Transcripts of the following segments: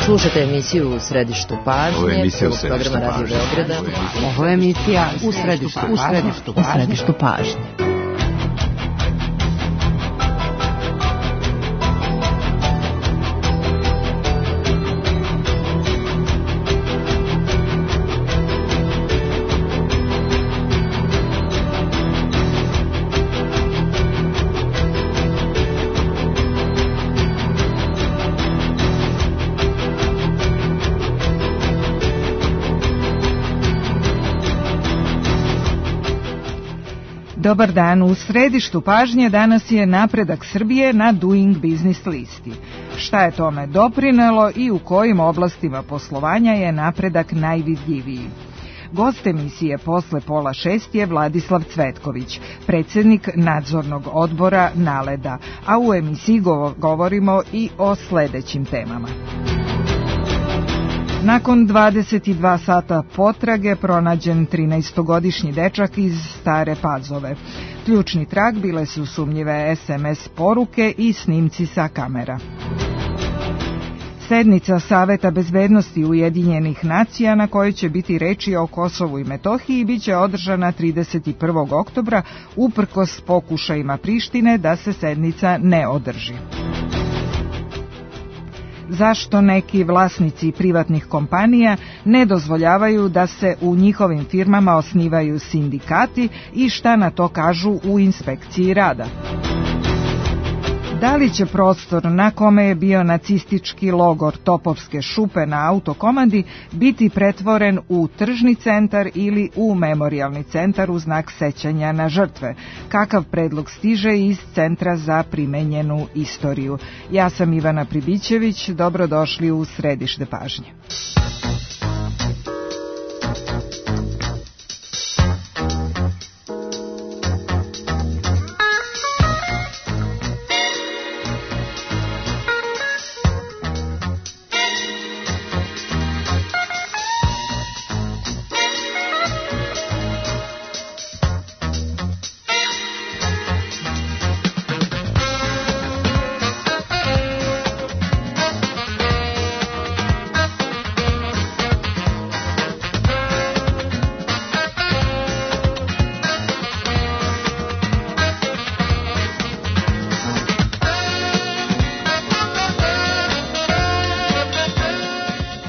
Slušajte emisiju U središtu pažnje. Ovo je emisija U središtu pažnje. Radio Beograda. Ovo je emisija U središtu pažnje. Dobar dan, u središtu pažnje danas je napredak Srbije na Doing Business listi. Šta je tome doprinelo i u kojim oblastima poslovanja je napredak najvidljiviji? Gost emisije posle 5:30 je Vladislav Cvetković, predsjednik nadzornog odbora Naleda, a u emisiji govorimo i o sledećim temama. Nakon 22 sata potrage pronađen 13-godišnji dečak iz Stare Pazove. Ključni trag bile su sumnjive SMS poruke i snimci sa kamera. Sednica Saveta bezbednosti Ujedinjenih nacija na kojoj će biti reči o Kosovu i Metohiji biće održana 31. oktobra uprkos pokušajima Prištine da se sednica ne održi. Zašto neki vlasnici privatnih kompanija ne dozvoljavaju da se u njihovim firmama osnivaju sindikati i šta na to kažu u inspekciji rada? Da li će prostor na kome je bio nacistički logor Topovske šupe na Autokomandi biti pretvoren u tržni centar ili u memorijalni centar u znak sećanja na žrtve? Kakav predlog stiže iz Centra za primenjenu istoriju? Ja sam Ivana Pribićević, dobrodošli u središte pažnje.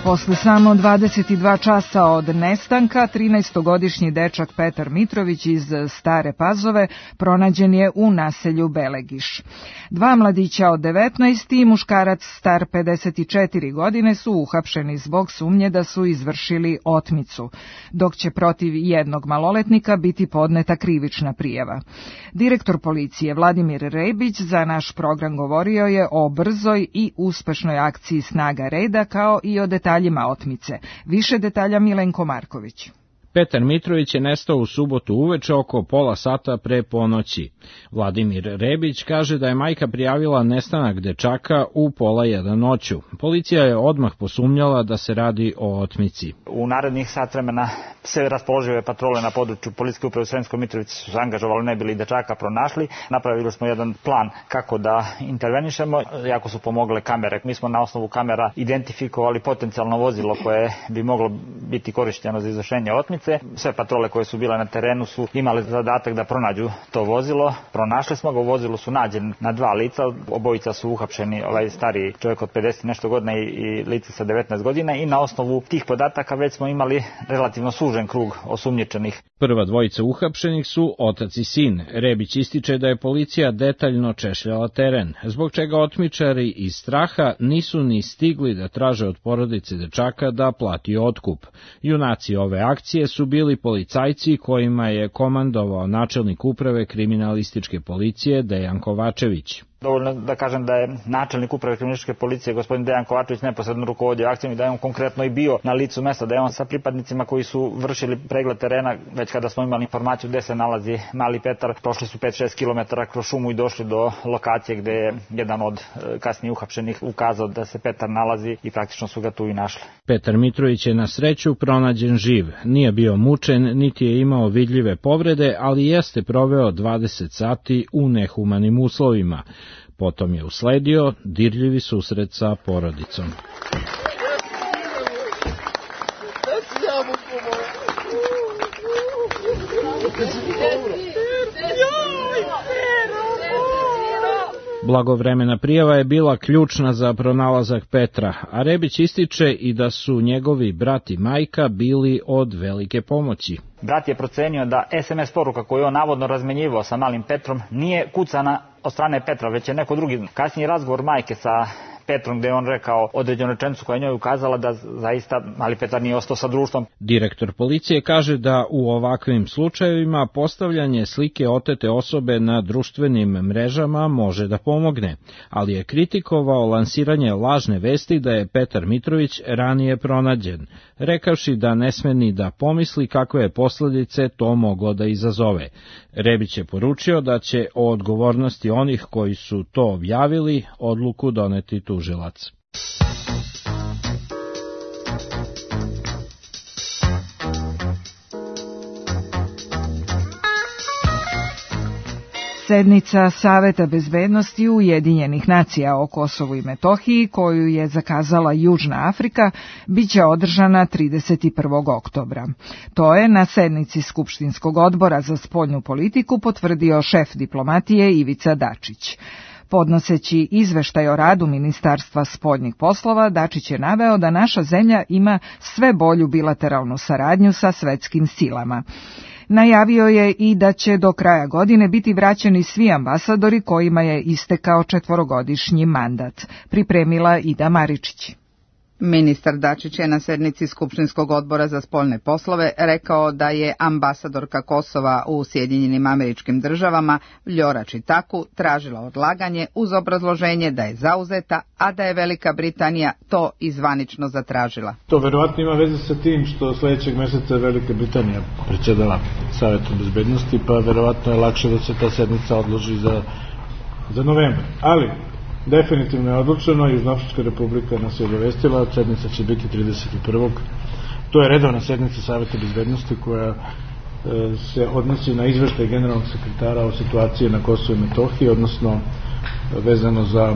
Posle samo 22 časa od nestanka, 13-godišnji dečak Petar Mitrović iz Stare Pazove pronađen je u naselju Belegiš. Dva mladića od 19 i muškarac star 54 godine su uhapšeni zbog sumnje da su izvršili otmicu, dok će protiv jednog maloletnika biti podneta krivična prijava. Direktor policije Vladimir Rebić za naš program govorio je o brzoj i uspešnoj akciji snaga reda kao i o detaljima otmice. Više detalja Milenko Marković. Petar Mitrović je nestao u subotu uveče oko pola sata pre ponoći. Vladimir Rebić kaže da je majka prijavila nestanak dečaka u 12:30 noću. Policija je odmah posumnjala da se radi o otmici. U narednih sat vremena sve raspoložive patrole na području Policijske uprave u Sremskoj Mitrovici su se angažovali, ne bili dečaka pronašli. Napravili smo jedan plan kako da intervenišemo, jako su pomogle kamere. Mi smo na osnovu kamera identifikovali potencijalno vozilo koje bi moglo biti korišteno za izvršenje otmice. Sve patrole koje su bile na terenu su imale zadatak da pronađu to vozilo. Pronašli smo ga, u vozilu su nađeni na dva lica, obojica su uhapšeni, ovaj stariji čovjek od 50 nešto godina i lice sa 19 godina i na osnovu tih podataka već smo imali relativno sužen krug osumnjičenih. Prva dvojica uhapšenih su otac i sin. Rebić ističe da je policija detaljno češljala teren, zbog čega otmičari iz straha nisu ni stigli da traže od porodice dečaka da plati otkup. Junaci ove akcije su bili policajci kojima je komandovao načelnik uprave kriminalističke policije Dejan Kovačević. Dovoljno da kažem da je načelnik uprave kriminalističke policije gospodin Dejan Kovačević neposredno rukovodio akcijom i da je on konkretno i bio na licu mesta, da je on sa pripadnicima koji su vršili pregled terena, već kada smo imali informaciju gde se nalazi mali Petar, prošli su 5-6 km kroz šumu i došli do lokacije gde je jedan od kasnije uhapšenih ukazao da se Petar nalazi i praktično su ga tu i našli. Petar Mitrović je na sreću pronađen živ, nije bio mučen, niti je imao vidljive povrede, ali jeste proveo 20 sati u nehumanim uslovima. Potom je usledio dirljivi susret sa porodicom. Blagovremena prijava je bila ključna za pronalazak Petra, a Rebić ističe i da su njegovi brat i majka bili od velike pomoći. Brat je procenio da SMS poruka koju on navodno razmenjivao sa malim Petrom nije kucana od strane Petra, već je neko drugi. Kasniji razgovor majke sa Petrom, gde je on rekao određenu rečenicu koja je njoj ukazala da zaista mali Petar nije ostao sa društvom. Direktor policije kaže da u ovakvim slučajevima postavljanje slike otete osobe na društvenim mrežama može da pomogne, ali je kritikovao lansiranje lažne vesti da je Petar Mitrović ranije pronađen, rekavši da ne sme ni da pomisli kakve je posledice to moglo da izazove. Rebić je poručio da će o odgovornosti onih koji su to objavili odluku doneti tužilac. Sednica Saveta bezbednosti Ujedinjenih nacija o Kosovu i Metohiji, koju je zakazala Južna Afrika, biće održana 31. oktobra. To je na sednici Skupštinskog odbora za spoljnu politiku potvrdio šef diplomatije Ivica Dačić. Podnoseći izveštaj o radu Ministarstva spoljnih poslova, Dačić je naveo da naša zemlja ima sve bolju bilateralnu saradnju sa svetskim silama. Najavio je i da će do kraja godine biti vraćeni svi ambasadori kojima je istekao 4-godišnji mandat, pripremila Ida Maričić. Ministar Dačić je na sednici Skupštinskog odbora za spoljne poslove rekao da je ambasadorka Kosova u Sjedinjenim Američkim Državama Vljora Čitaku tražila odlaganje uz obrazloženje da je zauzeta, a da je Velika Britanija to i zvanično zatražila. To verovatno ima veze sa tim što sledećeg meseca Velika Britanija predsjedala Savetom bezbednosti, pa verovatno je lakše da se ta sednica odloži za novembar. Ali definitivno je odlučeno, Južnoafrička republika nas je obavestila, sednica će biti 31. To je redovna sednica Saveta bezbednosti koja se odnosi na izveštaj generalnog sekretara o situaciji na Kosovu i Metohiji, odnosno vezano za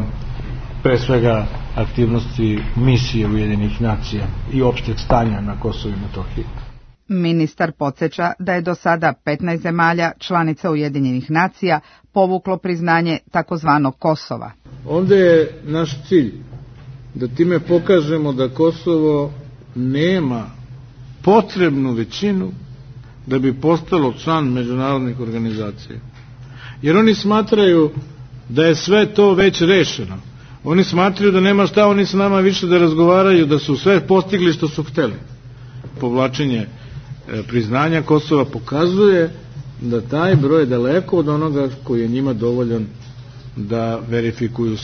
pre svega aktivnosti misije Ujedinjenih nacija i opšteg stanja na Kosovu i Metohiji. Ministar podsjeća da je do sada 15 zemalja članica Ujedinjenih nacija povuklo priznanje takozvanog Kosova. Ovdje je naš cilj da time pokažemo da Kosovo nema potrebnu većinu da bi postalo član međunarodnih organizacija. Jer oni smatraju da je sve to već rešeno. Oni smatraju da nema šta oni s nama više da razgovaraju, da su sve postigli što su hteli. Povlačenje priznanja Kosova pokazuje da taj broj je daleko od onoga koji je njima dovoljan da verifikuju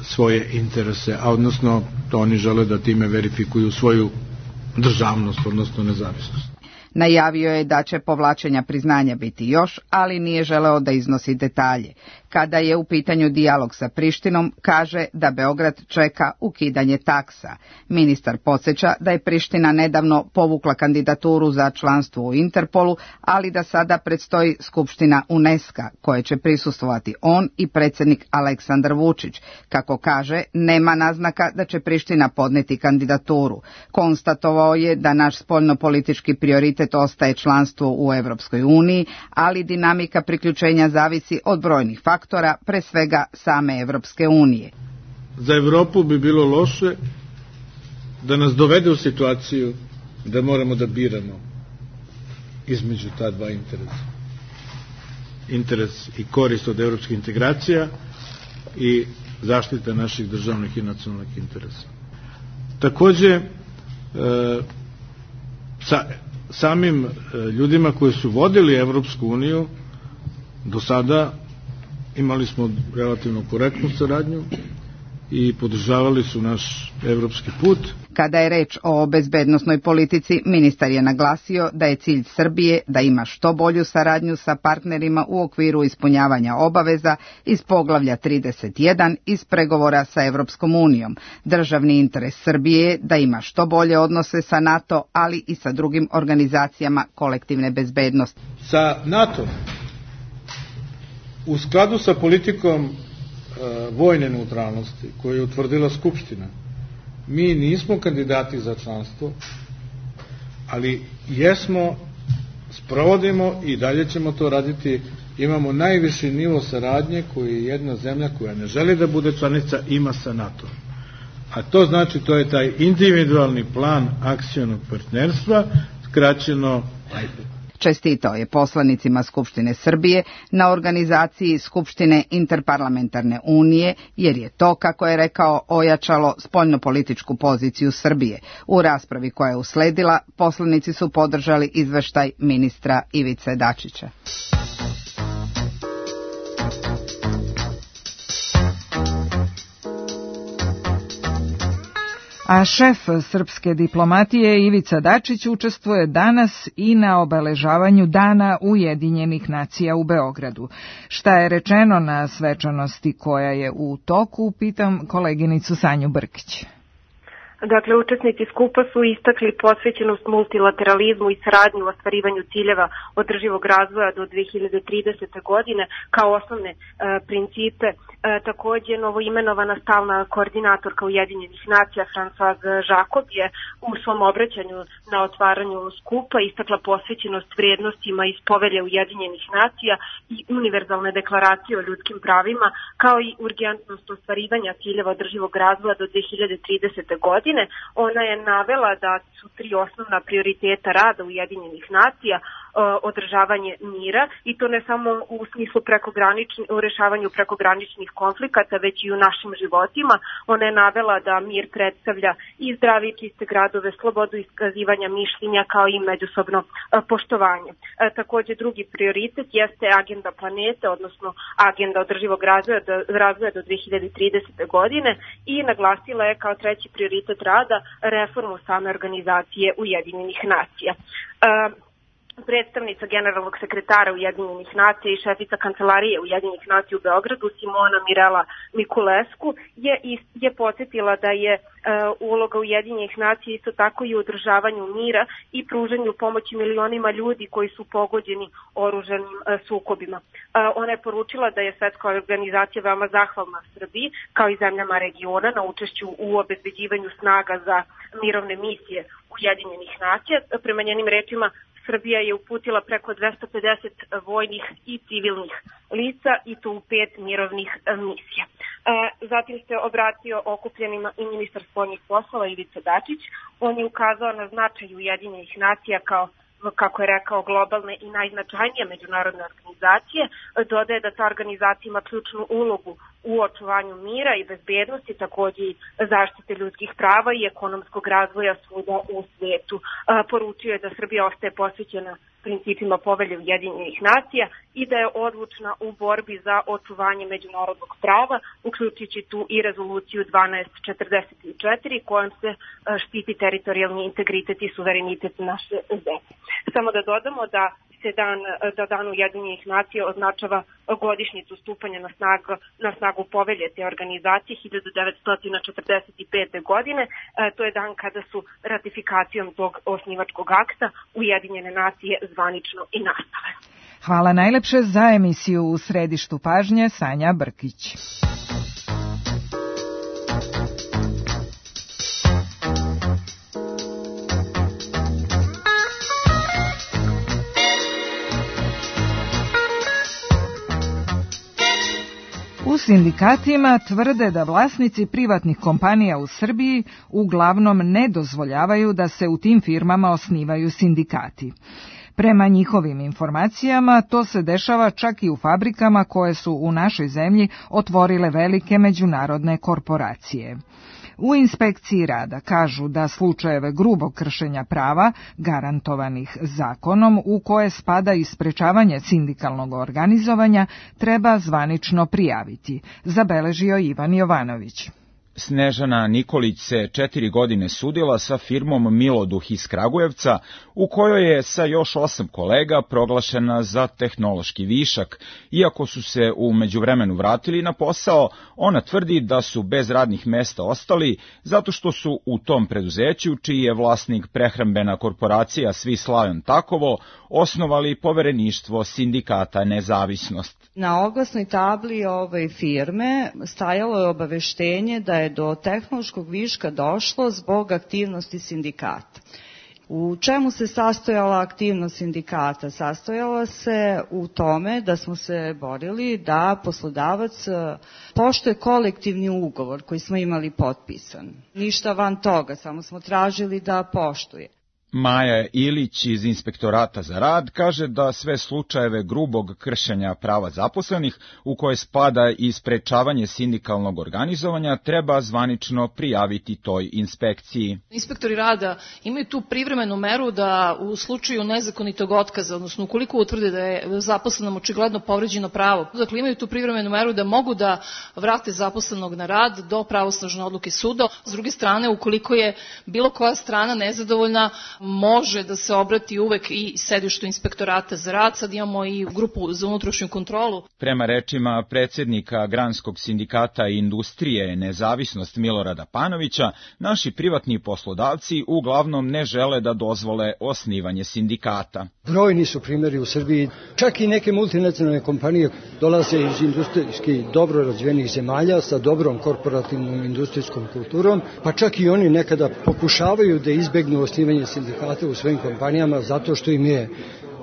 svoje interese, a odnosno to oni žele da time verifikuju svoju državnost, odnosno nezavisnost. Najavio je da će povlačenja priznanja biti još, ali nije želeo da iznosi detalje. Kada je u pitanju dijalog sa Prištinom, kaže da Beograd čeka ukidanje taksa. Ministar podsjeća da je Priština nedavno povukla kandidaturu za članstvo u Interpolu, ali da sada predstoji Skupština UNESCO, koje će prisustvovati on i predsjednik Aleksandar Vučić. Kako kaže, nema naznaka da će Priština podneti kandidaturu. Konstatovao je da naš spoljnopolitički prioritet ostaje članstvo u Evropskoj uniji, ali dinamika priključenja zavisi od brojnih faktora, pre svega same Evropske unije. Za Evropu bi bilo loše da nas dovede u situaciju da moramo da biramo između ta dva interesa. Interes i korist od evropskih integracija i zaštita naših državnih i nacionalnih interesa. Takođe, samim ljudima koji su vodili Evropsku uniju do sada imali smo relativno korektnu saradnju i podržavali su naš evropski put. Kada je reč o bezbednosnoj politici, ministar je naglasio da je cilj Srbije da ima što bolju saradnju sa partnerima u okviru ispunjavanja obaveza iz poglavlja 31 iz pregovora sa Evropskom unijom. Državni interes Srbije je da ima što bolje odnose sa NATO, ali i sa drugim organizacijama kolektivne bezbednosti. Sa NATO u skladu sa politikom vojne neutralnosti koju je utvrdila Skupština, mi nismo kandidati za članstvo, ali jesmo, sprovodimo i dalje ćemo to raditi imamo najviši nivo saradnje koji jedna zemlja koja ne želi da bude članica ima sa NATO. A to znači, to je taj individualni plan akcionog partnerstva, skraćeno IPAC. Čestitao je poslanicima Skupštine Srbije na organizaciji Skupštine Interparlamentarne unije, jer je to, kako je rekao, ojačalo spoljnopolitičku poziciju Srbije. U raspravi koja je usledila, poslanici su podržali izveštaj ministra Ivice Dačića. A šef srpske diplomatije Ivica Dačić učestvuje danas i na obeležavanju Dana Ujedinjenih nacija u Beogradu. Šta je rečeno na svečanosti koja je u toku, pitam koleginicu Sanju Brkić. Dakle, učesnici skupa su istakli posvećenost multilateralizmu i saradnju u ostvarivanju ciljeva održivog razvoja do 2030. godine kao osnovne principe. Takođe, novoimenovana stalna koordinatorka Ujedinjenih nacija Françoise Jacob je u svom obraćanju na otvaranju skupa istakla posvećenost vrijednostima iz Povelje Ujedinjenih nacija i univerzalne deklaracije o ljudskim pravima, kao i urgentnost ostvarivanja ciljeva održivog razvoja do 2030. godine. Ona je navela da su 3 osnovna prioriteta rada Ujedinjenih nacija održavanje mira, i to ne samo u smislu u rešavanju prekograničnih konflikata, već i u našim životima. Ona je navela da mir predstavlja i zdravi i čiste gradove, slobodu iskazivanja mišljenja, kao i međusobno poštovanje. Takođe, drugi prioritet jeste agenda planete, odnosno agenda održivog razvoja do 2030. godine, i naglasila je kao treći prioritet rada reformu same organizacije Ujedinjenih nacija. Predstavnica generalnog sekretara Ujedinjenih nacija i šefica kancelarije Ujedinjenih nacija u Beogradu, Simona Mirela Mikulesku, je podsjetila da je uloga Ujedinjenih nacija isto tako i u održavanju mira i pružanju pomoći milionima ljudi koji su pogođeni oružanim sukobima. Ona je poručila da je svetska organizacija veoma zahvalna Srbiji, kao i zemljama regiona, na učešću u obezbeđivanju snaga za mirovne misije Ujedinjenih nacija. Prema njenim rečima, Srbija je uputila preko 250 vojnih i civilnih lica, i to u 5 mirovnih misija. Zatim se obratio okupljenima i ministar spoljnih poslova Ivica Dačić. On je ukazao na značaj Ujedinjenih nacija kao, kako je rekao, globalne i najznačajnije međunarodne organizacije. Dodaje da ta organizacija ima ključnu ulogu u očuvanju mira i bezbednosti, takođe i zaštite ljudskih prava i ekonomskog razvoja svuda u svetu. Poručio je da Srbija ostaje posvećena principima Povelje Ujedinjenih nacija i da je odlučna u borbi za očuvanje međunarodnog prava, uključujući tu i rezoluciju 1244 kojom se štiti teritorijalni integritet i suverenitet naše zemlje. Samo da dodamo da Dan Ujedinjenih nacija označava godišnjicu stupanja na snagu Povelje te organizacije 1945. godine. To je dan kada su ratifikacijom tog osnivačkog akta Ujedinjene nacije zvanično i nastale. Hvala najlepše. Za emisiju U središtu pažnje Sanja Brkić. U sindikatima tvrde da vlasnici privatnih kompanija u Srbiji uglavnom ne dozvoljavaju da se u tim firmama osnivaju sindikati. Prema njihovim informacijama, to se dešava čak i u fabrikama koje su u našoj zemlji otvorile velike međunarodne korporacije. U inspekciji rada kažu da slučajeve grubog kršenja prava, garantovanih zakonom, u koje spada i sprečavanje sindikalnog organizovanja, treba zvanično prijaviti, zabeležio Ivan Jovanović. Snežana Nikolić se 4 godine sudila sa firmom Miloduh iz Kragujevca, u kojoj je sa još 8 kolega proglašena za tehnološki višak. Iako su se u međuvremenu vratili na posao, ona tvrdi da su bez radnih mesta ostali zato što su u tom preduzeću, čiji je vlasnik prehrambena korporacija Swiss Lion Takovo, osnovali povereništvo sindikata Nezavisnost. Na oglasnoj tabli ove firme stajalo je obaveštenje da je do tehnološkog viška došlo zbog aktivnosti sindikata. U čemu se sastojala aktivnost sindikata? Sastojala se u tome da smo se borili da poslodavac poštuje kolektivni ugovor koji smo imali potpisan. Ništa van toga, samo smo tražili da poštuje. Maja Ilić iz Inspektorata za rad kaže da sve slučajeve grubog kršenja prava zaposlenih, u koje spada i sprečavanje sindikalnog organizovanja, treba zvanično prijaviti toj inspekciji. Inspektori rada imaju tu privremenu meru da u slučaju nezakonitog otkaza, odnosno ukoliko utvrde da je zaposlenom očigledno povređeno pravo, dakle imaju tu privremenu meru da mogu da vrate zaposlenog na rad do pravosnažne odluke suda. S druge strane, ukoliko je bilo koja strana nezadovoljna, može da se obrati uvek i sedištu Inspektorata za rad. Sad imamo i grupu za unutrašnju kontrolu. Prema rečima predsjednika Granskog sindikata industrije Nezavisnost Milorada Panovića, naši privatni poslodavci uglavnom ne žele da dozvole osnivanje sindikata. Brojni su primjeri u Srbiji. Čak i neke multinacionalne kompanije dolaze iz industrijski dobro razvijenih zemalja sa dobrom korporativnom industrijskom kulturom, pa čak i oni nekada pokušavaju da izbegnu osnivanje sindikata u svojim kompanijama zato što im je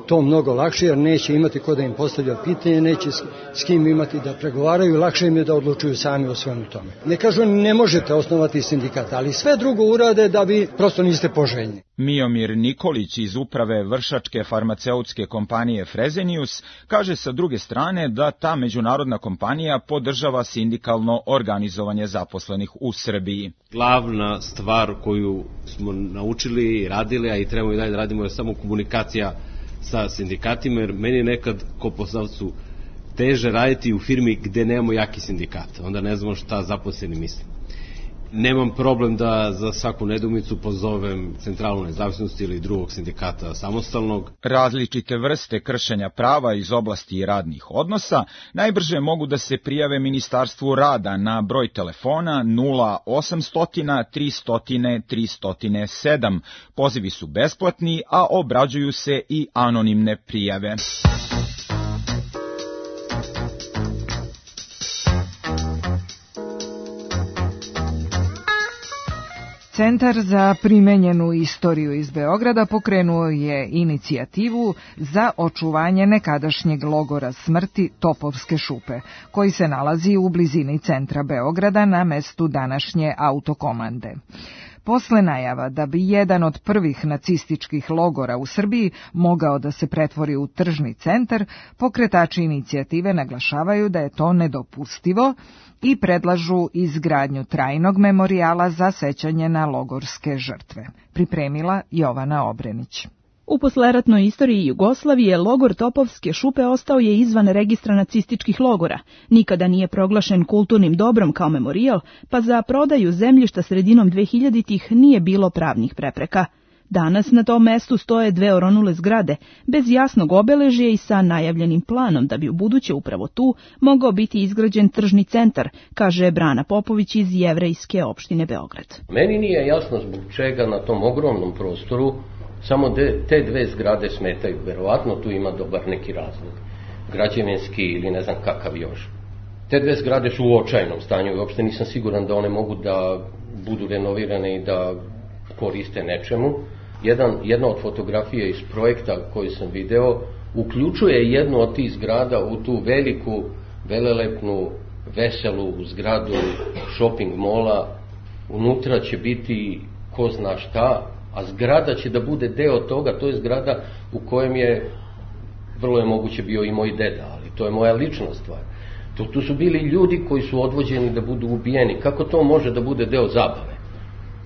to mnogo lakše, jer neće imati ko da im postavlja pitanje, neće s kim imati da pregovaraju, lakše im je da odlučuju sami o svemu tome. Ne kažu ne možete osnovati sindikat, ali sve drugo urade da vi prosto niste poželjni. Miomir Nikolić iz uprave vršačke farmaceutske kompanije Fresenius kaže sa druge strane da ta međunarodna kompanija podržava sindikalno organizovanje zaposlenih u Srbiji. Glavna stvar koju smo naučili i radili, a i trebamo i dalje da radimo, je samo komunikacija sa sindikatima, jer meni je nekad ko poslodavcu teže raditi u firmi gde nemamo jaki sindikat. Onda ne znamo šta zaposleni misle. Nemam problem da za svaku nedoumicu pozovem Centralnu nezavisnost ili drugog sindikata samostalnog. Različite vrste kršenja prava iz oblasti radnih odnosa najbrže mogu da se prijave Ministarstvu rada na broj telefona 0800 300 307. Pozivi su besplatni, a obrađuju se i anonimne prijave. Centar za primenjenu istoriju iz Beograda pokrenuo je inicijativu za očuvanje nekadašnjeg logora smrti Topovske šupe, koji se nalazi u blizini centra Beograda na mestu današnje autokomande. Posle najava da bi jedan od prvih nacističkih logora u Srbiji mogao da se pretvori u tržni centar, pokretači inicijative naglašavaju da je to nedopustivo i predlažu izgradnju trajnog memorijala za sećanje na logorske žrtve. Pripremila Jovana Obrenić. U posleratnoj istoriji Jugoslavije logor Topovske šupe ostao je izvan registra nacističkih logora. Nikada nije proglašen kulturnim dobrom kao memorijal, pa za prodaju zemljišta sredinom 2000-ih nije bilo pravnih prepreka. Danas na tom mestu stoje dve oronule zgrade, bez jasnog obeležja i sa najavljenim planom da bi u buduće upravo tu mogao biti izgrađen tržni centar, kaže Brana Popović iz Jevrejske opštine Beograd. Meni nije jasno zbog čega na tom ogromnom prostoru samo te dve zgrade smetaju. Verovatno tu ima dobar neki razlog, građevinski ili ne znam kakav još. Te dve zgrade su u očajnom stanju i uopšte nisam siguran da one mogu da budu renovirane i da koriste nečemu. Jedna od fotografija iz projekta koji sam video uključuje jednu od tih zgrada u tu veliku, velelepnu, veselu zgradu shopping mola. Unutra će biti ko zna šta, a zgrada će da bude deo toga. To je zgrada u kojem je, vrlo je moguće, bio i moj deda, ali to je moja lična stvar. Tu su bili ljudi koji su odvođeni da budu ubijeni. Kako to može da bude deo zabave?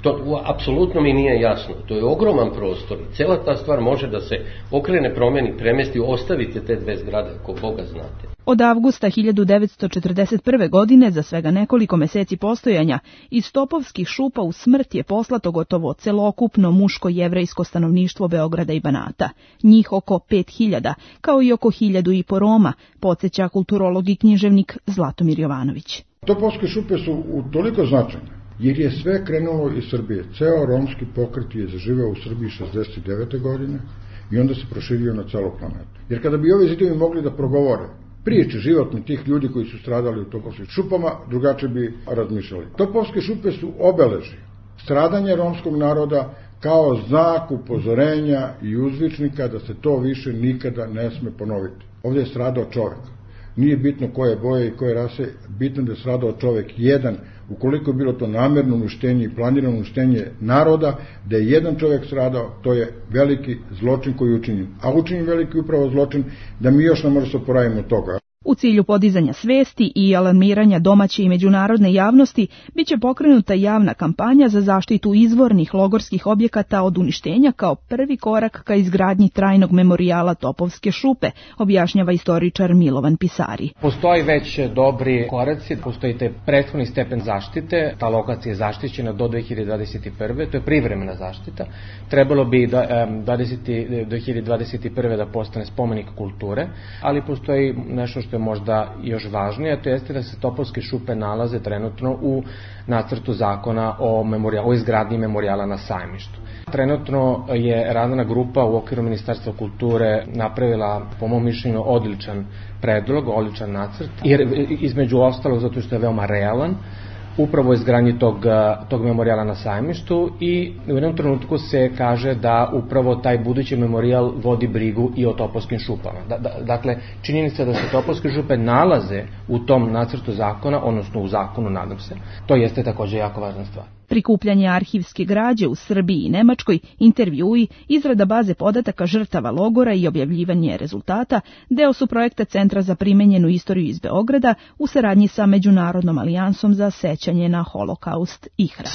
To apsolutno mi nije jasno. To je ogroman prostor. Cela ta stvar može da se okrene, promeni, premesti, ostavite te dve zgrade, ako Boga znate. Od avgusta 1941. godine, za svega nekoliko meseci postojanja, iz Topovskih šupa u smrt je poslato gotovo celokupno muško-jevrejsko stanovništvo Beograda i Banata. Njih oko 5000, kao i oko 1500 Roma, podsjeća kulturolog i književnik Zlatomir Jovanović. Topovske šupe su toliko značajne, jer je sve krenulo iz Srbije. Ceo romski pokret je zaživeo u Srbiji 69. godine i onda se proširio na celu planetu. Jer kada bi ovi zidovi mogli da progovore priče životne tih ljudi koji su stradali u Topovskim šupama, drugačije bi razmišljali. Topovske šupe su obeležje stradanja romskog naroda kao znak upozorenja i uzvičnika da se to više nikada ne sme ponoviti. Ovdje je stradao čovek. Nije bitno koje boje i koje rase, bitno da je stradao čovek jedan. Ukoliko je bilo to namerno uništenje i planirano uništenje naroda, da je jedan čovek stradao, to je veliki zločin koji je učinjen. A učinjen veliki upravo zločin da mi još ne možemo se oporaviti od toga. U cilju podizanja svesti i alarmiranja domaće i međunarodne javnosti biće pokrenuta javna kampanja za zaštitu izvornih logorskih objekata od uništenja kao prvi korak ka izgradnji trajnog memorijala Topovske šupe, objašnjava istoričar Milovan Pisari. Postoji već dobri koraci, postoji te prethodni stepen zaštite, ta lokacija je zaštićena do 2021. To je privremena zaštita. Trebalo bi do 2021. da postane spomenik kulture, ali postoji nešto što je možda još važnije, a to jeste da se Topovske šupe nalaze trenutno u nacrtu zakona o izgradnji memorijala na Sajmištu. Trenutno je radna grupa u okviru Ministarstva kulture napravila, po mom mišljenju, odličan predlog, odličan nacrt, jer između ostalog zato što je veoma realan, upravo izgradnji tog memorijala na Sajmištu i u jednom trenutku se kaže da upravo taj budući memorijal vodi brigu i o Topovskim šupama. Dakle, činjenica da se Topovske šupe nalaze u tom nacrtu zakona, odnosno u zakonu, nadam se, to jeste također jako važna stvar. Prikupljanje arhivske građe u Srbiji i Nemačkoj, intervjui, izrada baze podataka žrtava logora i objavljivanje rezultata deo su projekta Centra za primenjenu istoriju iz Beograda u saradnji sa Međunarodnom alijansom za sećanje na Holokaust IHRA.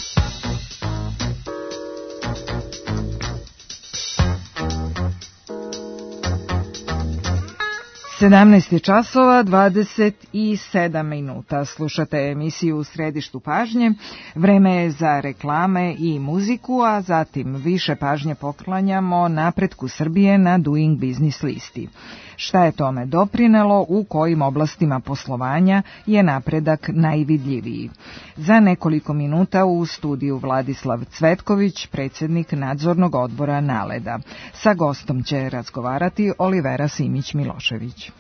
časova 27 minuta. Slušate emisiju U središtu pažnje. Vreme je za reklame i muziku, a zatim više pažnje poklanjamo napretku Srbije na Doing Business listi. Šta je tome doprinelo, u kojim oblastima poslovanja je napredak najvidljiviji? Za nekoliko minuta u studiju Vladislav Cvetković, predsjednik nadzornog odbora Naleda. Sa gostom će razgovarati Olivera Simić-Milošević.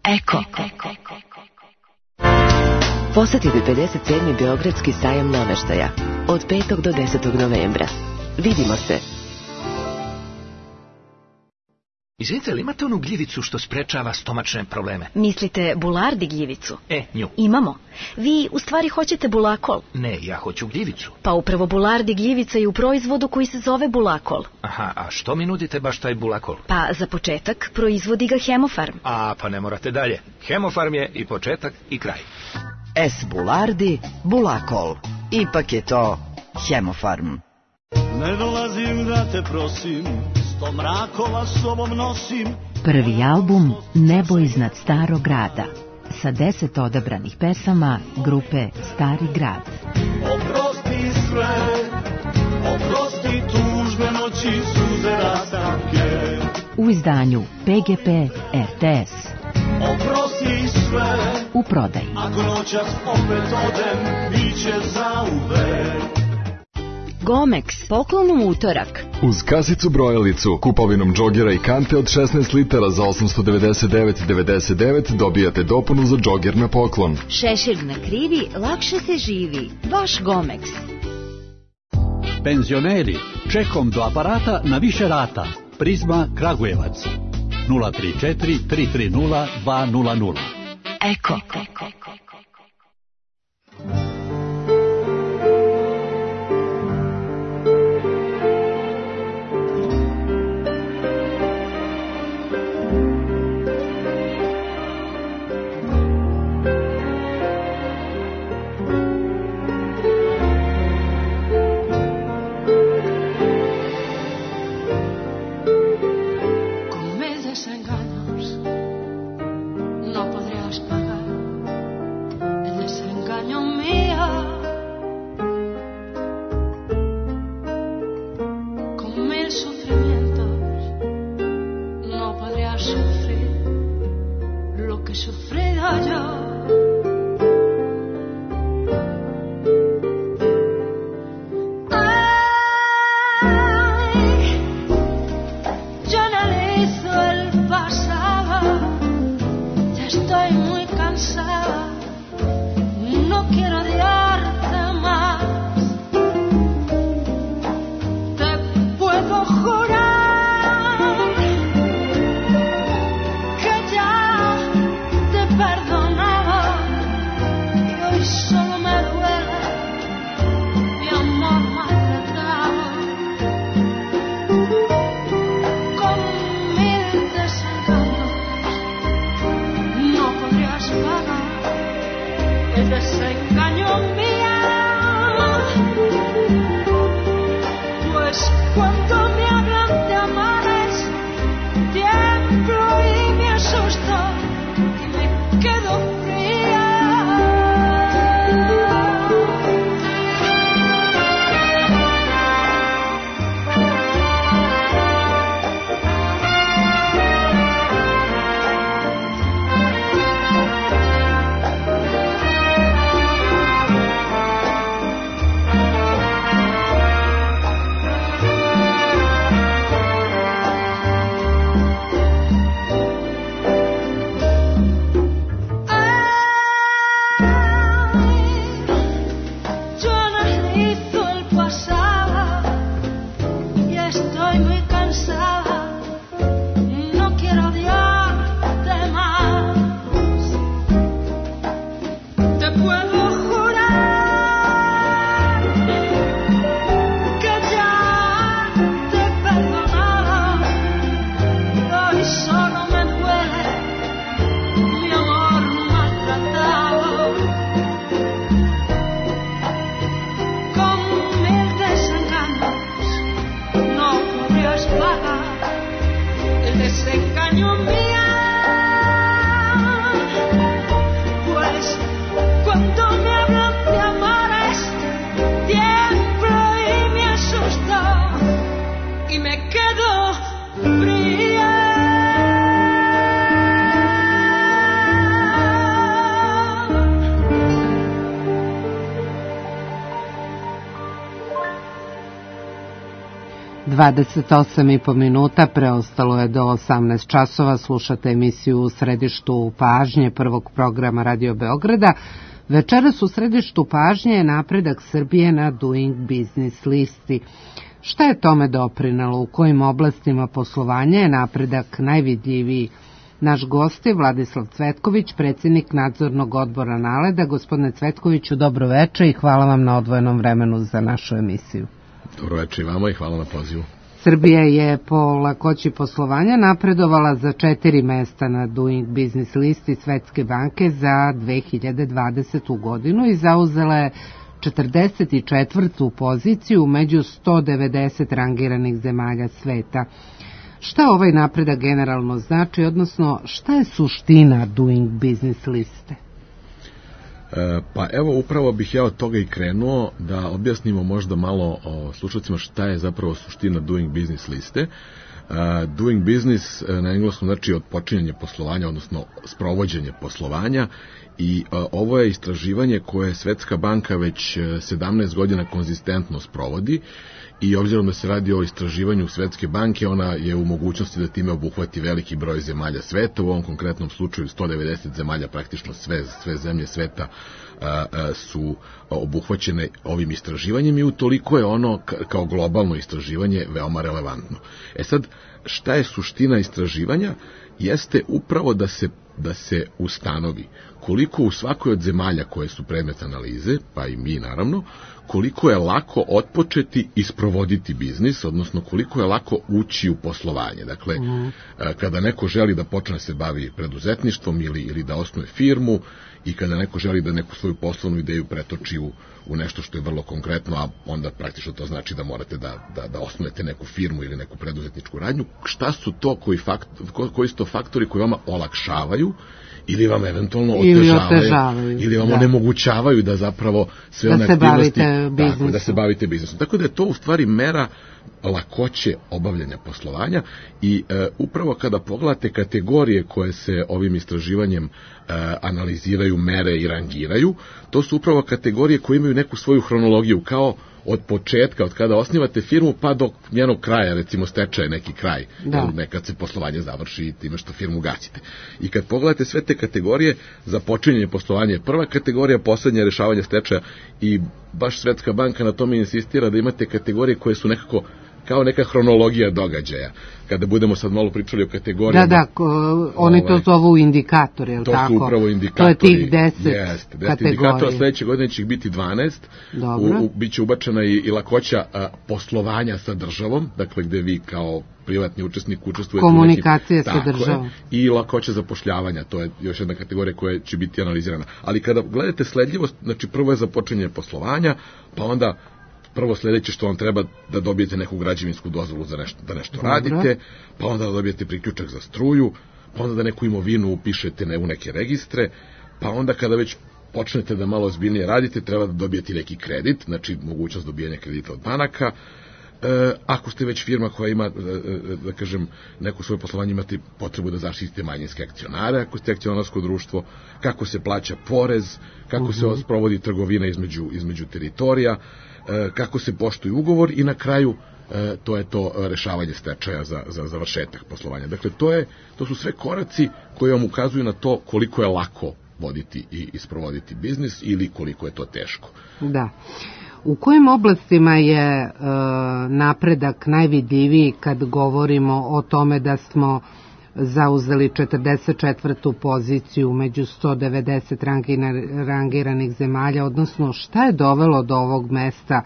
Eko. Posjetite 57. Beogradski sajam namještaja od 5. do 10. novembra. Vidimo se. Izvinite, li imate onu gljivicu što sprečava stomačne probleme? Mislite bulardi gljivicu? Nju. Imamo. Vi u stvari hoćete bulakol? Ne, ja hoću gljivicu. Pa upravo bulardi gljivica je u proizvodu koji se zove bulakol. Aha, a što mi nudite baš taj bulakol? Pa za početak proizvodi ga Hemofarm. Pa ne morate dalje. Hemofarm je i početak i kraj. S bulardi, bulakol. Ipak je to Hemofarm. Ne dolazim da te prosim, sto mrakova sobom nosim. Prvi album Nebo iznad starog grada sa 10 odabranih pesama grupe Stari grad. Oprosti sve, oprosti tužbe noći, suze rastanke. U izdanju PGP RTS. Oprosti sve, u prodaji. Ako noćas opet odem, biće zauvek. Gomex, poklon u utorak. Uz kasicu brojalicu, kupovinom džogera i kante od 16 litara za 899,99 dobijate dopunu za džoger na poklon. Šešir na krivi, lakše se živi. Vaš Gomex. Penzioneri, čekom do aparata na više rata. Prizma Kragujevac. 034 330 200. Eko. ...28,5 minuta, preostalo je do 18 časova, slušate emisiju U središtu pažnje prvog programa Radio Beograda. Večeras u središtu pažnje je napredak Srbije na Doing Business listi. Šta je tome doprinalo, u kojim oblastima poslovanja je napredak najvidljiviji? Naš gost je Vladislav Cvetković, predsjednik nadzornog odbora Naleda. Gospodine Cvetkoviću, dobro večer i hvala vam na odvojenom vremenu za našu emisiju. Dobro večer i vama i hvala na pozivu. Srbija je po lakoći poslovanja napredovala za 4 mesta na Doing Business listi Svetske banke za 2020. godinu i zauzela je 44. poziciju među 190 rangiranih zemalja sveta. Šta ovaj napredak generalno znači, odnosno šta je suština Doing Business liste? Pa evo, upravo bih ja od toga i krenuo da objasnimo možda malo slušalcima šta je zapravo suština Doing Business liste. Doing Business na engleskom znači odpočinjanje poslovanja, odnosno sprovođenje poslovanja, i ovo je istraživanje koje Svetska banka već 17 godina konzistentno sprovodi, i obzirom da se radi o istraživanju Svetske banke, ona je u mogućnosti da time obuhvati veliki broj zemalja sveta, u ovom konkretnom slučaju 190 zemalja, praktično sve zemlje sveta su obuhvaćene ovim istraživanjem, i utoliko je ono kao globalno istraživanje veoma relevantno. Sad, šta je suština istraživanja? Jeste upravo da se ustanovi koliko u svakoj od zemalja koje su predmet analize, pa i mi naravno, koliko je lako otpočeti i sprovoditi biznis, odnosno koliko je lako ući u poslovanje. Dakle, kada neko želi da počne se bavi preduzetništvom ili da osnuje firmu, i kada neko želi da neku svoju poslovnu ideju pretoči u nešto što je vrlo konkretno, a onda praktično to znači da morate da osnujete neku firmu ili neku preduzetničku radnju, šta su to koji su to faktori koji vama olakšavaju ili vam eventualno otežavaju ili vam onemogućavaju da zapravo sve one aktivnosti da se bavite biznisom. Tako da je to u stvari mera lakoće obavljanja poslovanja, i upravo kada pogledate kategorije koje se ovim istraživanjem analiziraju, mere i rangiraju, to su upravo kategorije koje imaju neku svoju hronologiju, kao od početka, od kada osnivate firmu pa do njenog kraja, recimo stečaj neki kraj, nekad se poslovanje završi time što firmu gasite. I kad pogledate sve te kategorije, započinjanje poslovanja je prva kategorija, poslednje rešavanje stečaja, i baš Svetska banka na tome insistira da imate kategorije koje su nekako kao neka hronologija događaja. Kada budemo sad malo pričali o kategorijama... Oni to zovu indikatori, je li tako? To su upravo indikatori. To je tih 10 kategorija. Indikatora, sledeće godine će ih biti 12. Biće ubačena i lakoća poslovanja sa državom, dakle gde vi kao privatni učesnik učestvujete komunikacije sa državom. I lakoća zapošljavanja, to je još jedna kategorija koja će biti analizirana. Ali kada gledate sledljivost, znači prvo je započinje poslovanja, pa onda prvo sledeće što vam treba da dobijete neku građevinsku dozvolu za nešto, da nešto radite, pa onda da dobijete priključak za struju, pa onda da neku imovinu upišete u neke registre, pa onda kada već počnete da malo ozbiljnije radite, treba da dobijete neki kredit, znači mogućnost dobijanja kredita od banaka. Ako ste već firma koja ima, da kažem, neko svoje poslovanje, imate potrebu da zaštitite manjinske akcionare, ako ste akcionarsko društvo, kako se plaća porez, kako se sprovodi trgovina između teritorija, kako se poštuje ugovor i na kraju to je to rešavanje stečaja za završetak poslovanja. Dakle, to su sve koraci koji vam ukazuju na to koliko je lako voditi i sprovoditi biznis ili koliko je to teško. Da. U kojim oblastima je napredak najvidljiviji kad govorimo o tome da smo zauzeli 44. poziciju među 190 rangiranih zemalja, odnosno šta je dovelo do ovog mesta?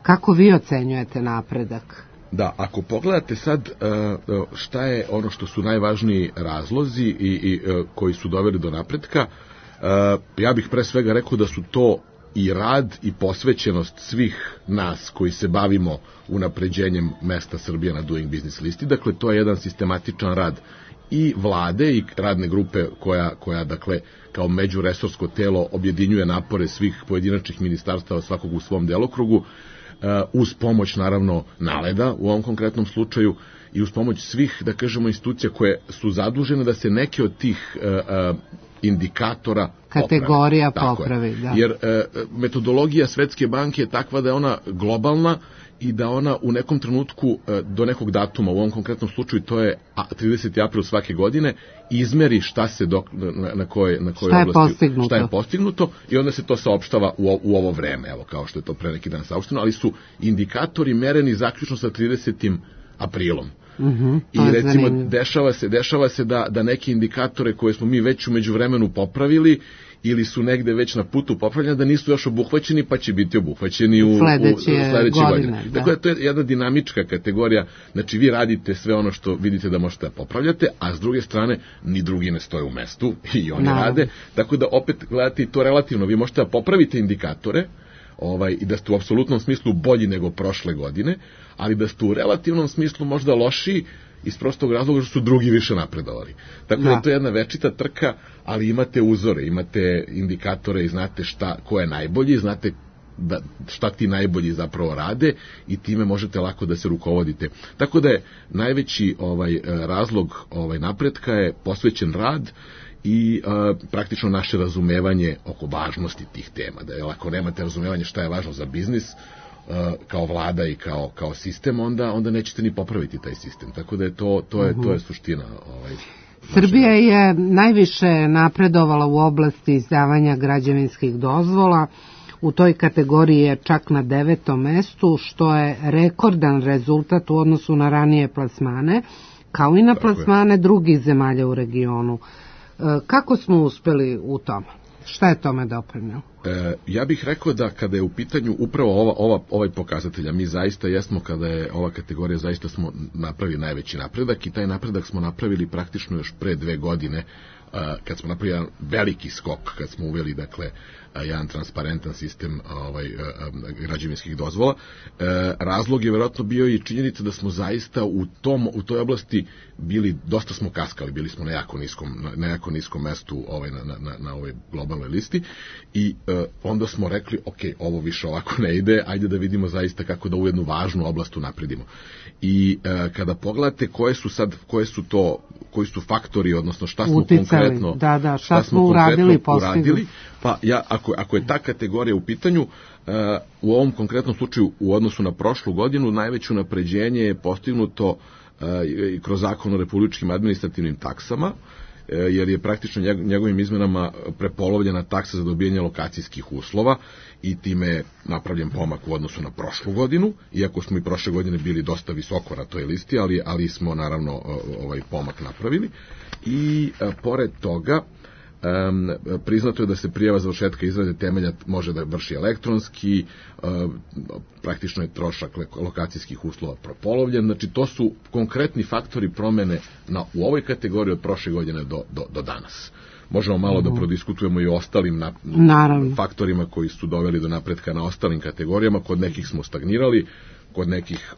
Kako vi ocenjujete napredak? Da, ako pogledate sad šta je ono što su najvažniji razlozi i koji su doveli do napretka, ja bih pre svega rekao da su to i rad i posvećenost svih nas koji se bavimo unapređenjem mesta Srbije na Doing Business listi. Dakle, to je jedan sistematičan rad i vlade i radne grupe koja dakle, kao međuresorsko telo objedinjuje napore svih pojedinačnih ministarstava, svakog u svom delokrugu, uz pomoć, naravno, NALED-a u ovom konkretnom slučaju i uz pomoć svih, da kažemo, institucija koje su zadužene da se neke od tih indikatora kategorija popravi. Da. Jer metodologija Svetske banke je takva da je ona globalna i da ona u nekom trenutku do nekog datuma, u ovom konkretnom slučaju to je 30. april svake godine, izmeri šta se na kojoj oblasti šta je postignuto i onda se to saopštava u ovo vreme, evo kao što je to pre neki dan saopšteno, ali su indikatori mereni zaključno sa 30. aprilom. I recimo dešava se da neke indikatore koje smo mi već u međuvremenu popravili ili su negde već na putu popravljanja, da nisu još obuhvaćeni, pa će biti obuhvaćeni u sledeće godine. Dakle, to je jedna dinamička kategorija, znači vi radite sve ono što vidite da možete da popravljate, a s druge strane ni drugi ne stoje u mestu i oni rade, tako da opet gledate i to relativno, vi možete da popravite indikatore, i da ste u apsolutnom smislu bolji nego prošle godine, ali da ste u relativnom smislu možda lošiji iz prostog razloga što su drugi više napredovali. Tako da to je jedna večita trka, ali imate uzore, imate indikatore i znate ko je najbolji, znate šta ti najbolji zapravo rade i time možete lako da se rukovodite. Tako da je najveći razlog napretka je posvećen rad i praktično naše razumevanje oko važnosti tih tema. Da je, ako nemate razumevanje šta je važno za biznis, kao vlada i kao sistem, onda nećete ni popraviti taj sistem. Tako da je to je suština. Srbija je najviše napredovala u oblasti izdavanja građevinskih dozvola. U toj kategoriji je čak na 9. mestu, što je rekordan rezultat u odnosu na ranije plasmane, kao i na plasmane drugih zemalja u regionu. Kako smo uspeli u tome? Šta je tome doprinelo? Ja bih rekao da kada je u pitanju upravo ovaj pokazatelj, a mi zaista jesmo, kada je ova kategorija, zaista smo napravili najveći napredak i taj napredak smo napravili praktično još pre 2 godine, kad smo napravili jedan veliki skok, kad smo uveli, dakle, jedan transparentan sistem građevinskih dozvola. Razlog je verovatno bio i činjenica da smo zaista u toj oblasti dosta smo kaskali, bili smo na jako niskom mestu na ovoj globalnoj listi i onda smo rekli, ok, ovo više ovako ne ide, ajde da vidimo zaista kako da u jednu važnu oblast unapredimo. I kada pogledate koji su faktori, odnosno šta smo konkretno šta smo uradili, pa ako je ta kategorija u pitanju, u ovom konkretnom slučaju u odnosu na prošlu godinu najveće unapređenje je postignuto kroz zakon o republičkim administrativnim taksama jer je praktično njegovim izmenama prepolovljena taksa za dobijanje lokacijskih uslova i time je napravljen pomak u odnosu na prošlu godinu, iako smo i prošle godine bili dosta visoko na toj listi, ali smo naravno ovaj pomak napravili. I pored toga priznato je da se prijava završetka izrade temelja može da vrši elektronski, praktično je trošak lokacijskih uslova prepolovljen, znači to su konkretni faktori promene u ovoj kategoriji od prošle godine do danas. Možemo malo da prodiskutujemo i o ostalim faktorima koji su doveli do napretka na ostalim kategorijama, kod nekih smo stagnirali, kod nekih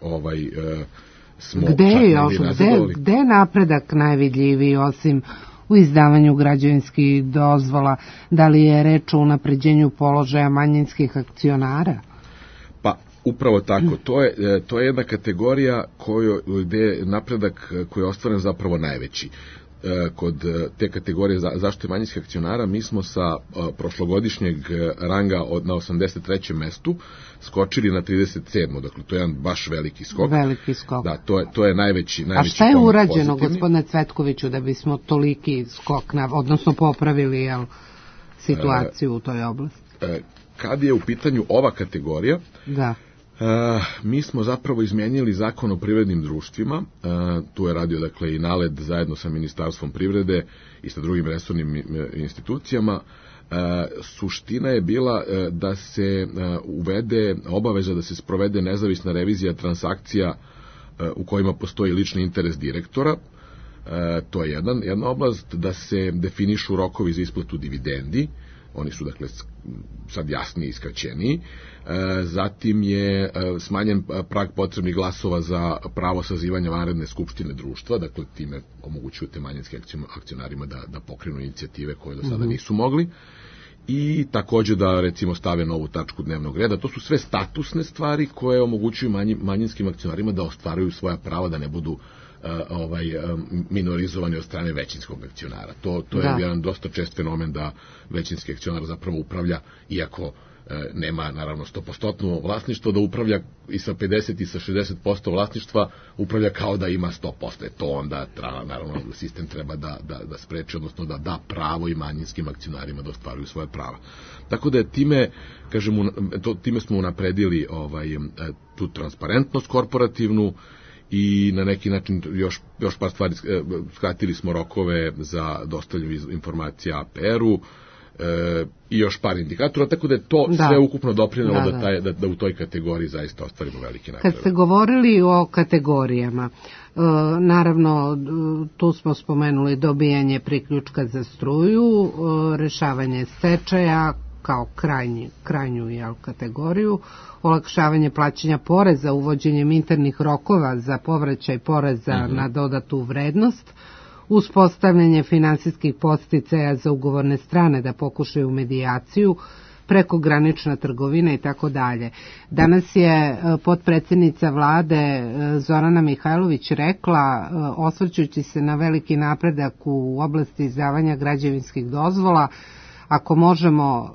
smo čak negdje nazadovali. Gde je napredak najvidljiviji osim u izdavanju građevinskih dozvola? Da li je reč o unapređenju položaja manjinskih akcionara? Pa, upravo tako. To je jedna kategorija gde je napredak koji je ostvaren zapravo najveći. Kod te kategorije zaštite manjinskih akcionara mi smo sa prošlogodišnjeg ranga na 83. mestu skočili na 37. Dakle, to je jedan baš veliki skok. Veliki skok. Da, to je najveći A šta je urađeno, gospodine Cvetkoviću, da bismo toliki skok, odnosno popravili situaciju u toj oblasti? Kad je u pitanju ova kategorija, da. Mi smo zapravo izmenjili zakon o privrednim društvima, tu je radio dakle i NALED zajedno sa Ministarstvom privrede i sa drugim resornim institucijama. Suština je bila da se uvede obaveza da se sprovede nezavisna revizija transakcija u kojima postoji lični interes direktora. To je jedna oblast, da se definišu rokovi za isplatu dividendi, oni su dakle sad jasniji i skraćeniji. Zatim je smanjen prag potrebnih glasova za pravo sazivanja vanredne skupštine društva, dakle time omogućuju te manjinske akcionarima da pokrenu inicijative koje do sada nisu mogli. I takođe da recimo stave novu tačku dnevnog reda. To su sve statusne stvari koje omogućuju manjinskim akcionarima da ostvaruju svoja prava, da ne budu minorizovani od strane većinskog akcionara. To je jedan dosta čest fenomen da većinski akcionar zapravo upravlja, iako nema naravno 100% vlasništvo, da upravlja i sa 50 i sa 60% vlasništva, upravlja kao da ima 100%. To onda naravno sistem treba da spreči, odnosno da da pravo i manjinskim akcionarima da ostvaruju svoje prava. Tako da time smo unapredili tu transparentnost korporativnu i na neki način još par stvari, skratili smo rokove za dostavljanje informacija APR-u i još par indikatora, tako da je to sve ukupno doprinelo da u toj kategoriji zaista ostvarimo veliki napredak. Kad ste govorili o kategorijama, naravno tu smo spomenuli dobijanje priključka za struju, rešavanje stečaja kao krajnju kategoriju, olakšavanje plaćanja poreza uvođenjem internih rokova za povraćaj poreza na dodatu vrednost, uspostavljanje finansijskih podsticaja za ugovorne strane da pokušaju medijaciju, prekogranična trgovina i tako dalje. Danas je potpredsjednica vlade Zorana Mihajlović rekla, osvrćući se na veliki napredak u oblasti izdavanja građevinskih dozvola, ako možemo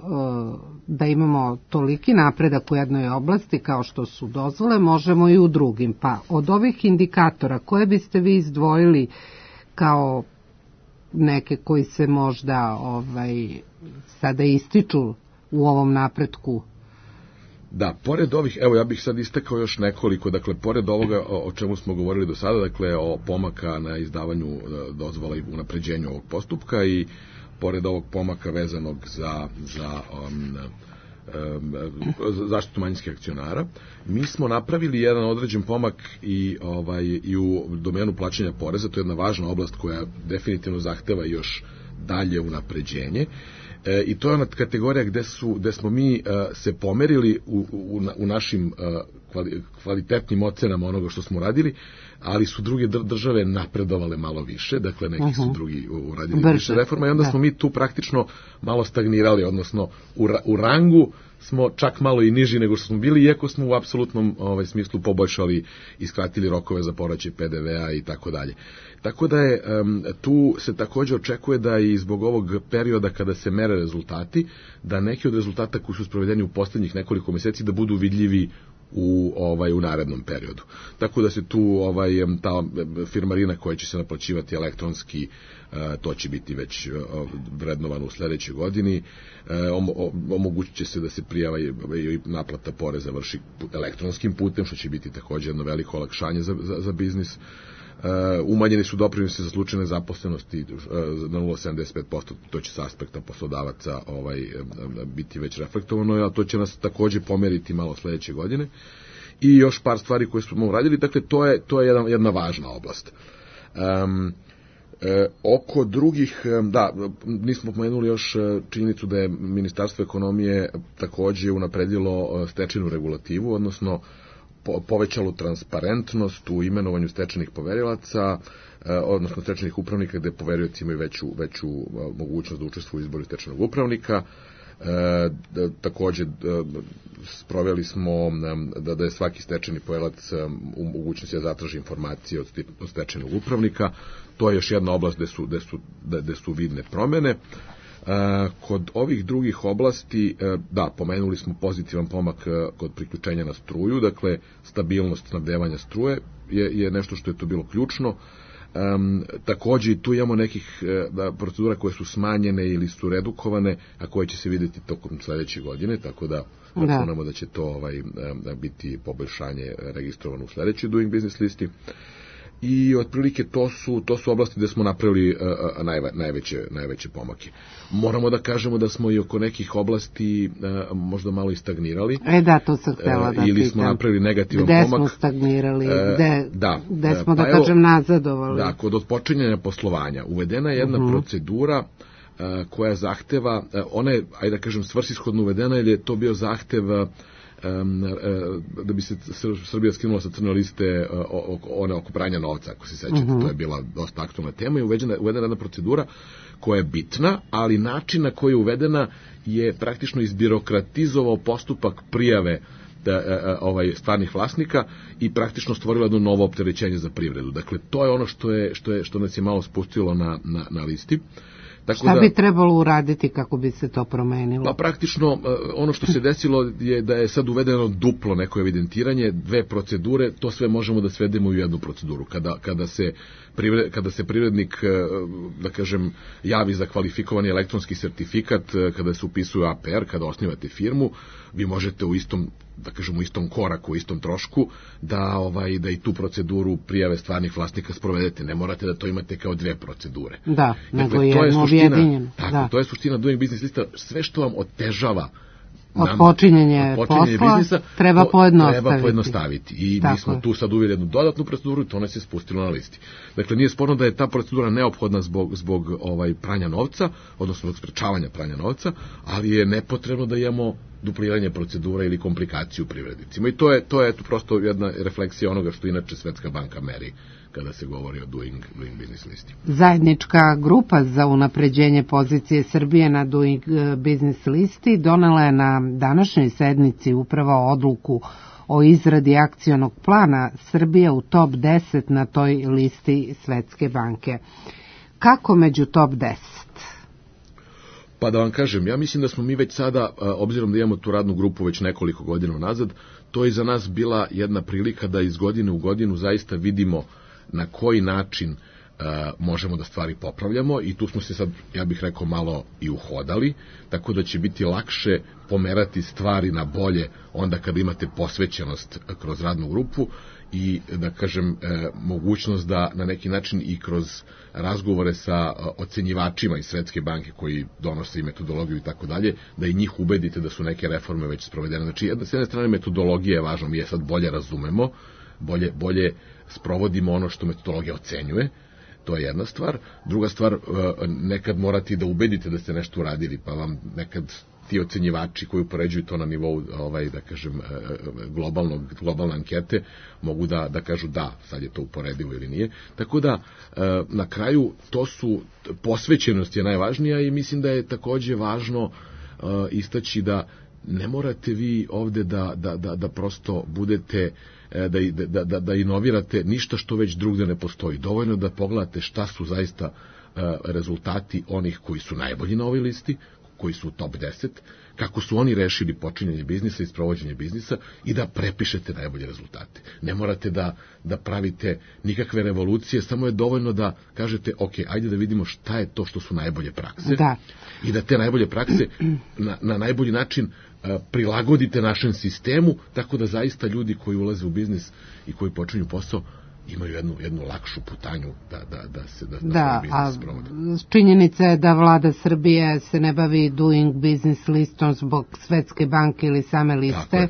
da imamo toliki napredak u jednoj oblasti kao što su dozvole, možemo i u drugim. Pa od ovih indikatora koje biste vi izdvojili kao neke koji se možda sada ističu u ovom napretku? Da, pored ovih, evo ja bih sad istakao još nekoliko, dakle, pored ovoga o čemu smo govorili do sada, dakle, o pomaka na izdavanju dozvola i unapređenju ovog postupka i pored ovog pomaka vezanog za zaštitu manjinskih akcionara, mi smo napravili jedan određen pomak i u domenu plaćanja poreza. To je jedna važna oblast koja definitivno zahteva još dalje unapređenje. I to je ona kategorija gde smo mi se pomerili u našim kvalitetnim ocenama onoga što smo radili, ali su druge države napredovale malo više, dakle neki su drugi uradili više reforma i onda smo mi tu praktično malo stagnirali, odnosno u rangu smo čak malo i niži nego što smo bili, iako smo u apsolutnom smislu poboljšali i skratili rokove za povraćaj PDV-a i tako dalje. Tako da je tu se također očekuje da i zbog ovog perioda kada se mere rezultati, da neki od rezultata koji su sprovedeni u poslednjih nekoliko meseci da budu vidljivi u narednom periodu. Tako da se tu ta firmarina koja će se naplaćivati elektronski, to će biti već vrednovano u sledećoj godini. Omogućit će se da se prijava i naplata poreza vrši elektronskim putem, što će biti takođe jedno veliko olakšanje za biznis. Umanjeni su doprinosi za slučaj nezaposlenosti na 0,75%, to će sa aspekta poslodavaca biti već reflektovano, a to će nas takođe pomeriti malo sledeće godine. I još par stvari koje smo uradili, dakle to je jedna važna oblast. Oko drugih, nismo pomenuli još činjenicu da je Ministarstvo ekonomije takođe unapredilo stečajnu regulativu, odnosno povećalo transparentnost u imenovanju stečajnih poverilaca, odnosno stečajnih upravnika, gde poverioci imaju veću mogućnost da učestvuju u izboru stečajnog upravnika. Takođe sproveli smo da je svaki stečajni poverilac u mogućnosti da zatraži informacije od stečajnog upravnika. To je još jedna oblast gde su vidne promene. Kod ovih drugih oblasti, pomenuli smo pozitivan pomak kod priključenja na struju, dakle stabilnost snabdevanja struje je nešto što je tu bilo ključno. Takođe tu imamo nekih procedura koje su smanjene ili su redukovane, a koje će se videti tokom sledeće godine, tako da računamo da će to biti poboljšanje registrovano u sledećoj Doing Business listi. I otprilike to su oblasti gde smo napravili najveće pomake. Moramo da kažemo da smo i oko nekih oblasti možda malo i stagnirali. To sam htela da pitam. Ili smo napravili negativan pomak. Gde smo stagnirali? Gde smo, kažem, nazadovali? Da, kod otpočinjanja poslovanja uvedena je jedna procedura koja zahteva, ona je, ajde da kažem, svrsishodno uvedena, jer je to bio zahtev da bi se Srbija skinula sa crne liste oko pranja novca, ako se sećate, to je bila dosta aktualna tema i uvedena jedna procedura koja je bitna, ali način na koji je uvedena je praktično izbirokratizovao postupak prijave stvarnih vlasnika i praktično stvorilo jedno novo opterećenje za privredu. Dakle, to je ono što nas je malo spustilo na listi. Šta bi trebalo uraditi kako bi se to promenilo? Pa praktično ono što se desilo je da je sad uvedeno duplo neko evidentiranje, 2 procedure, to sve možemo da svedemo u jednu proceduru. Kada se privrednik, da kažem, javi za kvalifikovani elektronski sertifikat, kada se upisuje APR, kada osnivate firmu, vi možete u istom koraku, u istom trošku, da i tu proceduru prijave stvarnih vlasnika sprovedete. Ne morate da to imate kao 2 procedure. Da, nego jedno objedinjeno. Tako, to je suština Doing Business lista. Sve što vam otežava počinjenje posla biznisa, treba pojednostaviti. I mi smo tu sad uveli jednu dodatnu proceduru i to nas je spustilo na listi. Dakle, nije sporno da je ta procedura neophodna zbog pranja novca, odnosno zbog sprečavanja pranja novca, ali je nepotrebno da imamo dupliranje procedura ili komplikaciju privrednicima. I to je prosto jedna refleksija onoga što inače Svetska banka meri kada se govori o Doing Business listi. Zajednička grupa za unapređenje pozicije Srbije na Doing Business listi donela je na današnjoj sednici upravo odluku o izradi akcionog plana Srbije u top 10 na toj listi Svetske banke. Kako među top 10? Pa da vam kažem, ja mislim da smo mi već sada, obzirom da imamo tu radnu grupu već nekoliko godina nazad, to je za nas bila jedna prilika da iz godine u godinu zaista vidimo na koji način možemo da stvari popravljamo i tu smo se sad, ja bih rekao, malo i uhodali, tako da će biti lakše pomerati stvari na bolje onda kada imate posvećenost kroz radnu grupu i, da kažem, mogućnost da na neki način i kroz razgovore sa ocenjivačima iz Svetske banke koji donose i metodologiju i tako dalje, da i njih ubedite da su neke reforme već sprovedene. Znači, s jedne strane metodologija je važno, mi je sad bolje razumemo, bolje sprovodimo ono što metodologija ocenjuje, to je jedna stvar. Druga stvar, nekad morate da ubedite da ste nešto uradili, pa vam nekad ti ocenjivači koji upoređuju to na nivou, da kažem, globalne ankete, mogu da kažu da, sad je to uporedivo ili nije. Tako da, na kraju, posvećenost je najvažnija i mislim da je takođe važno istaći da ne morate vi ovde da prosto budete, da inovirate ništa što već drugde ne postoji. Dovoljno da pogledate šta su zaista rezultati onih koji su najbolji na ovoj listi, koji su u top 10, kako su oni rešili počinjanje biznisa i sprovođenje biznisa i da prepišete najbolje rezultate. Ne morate da pravite nikakve revolucije, samo je dovoljno da kažete, ok, ajde da vidimo šta je to što su najbolje prakse i da te najbolje prakse na najbolji način prilagodite našem sistemu, tako da zaista ljudi koji ulaze u biznis i koji počinju posao imaju jednu lakšu putanju da se biznis sprovode. Činjenica je da vlada Srbije se ne bavi doing business listom zbog Svetske banke ili same liste,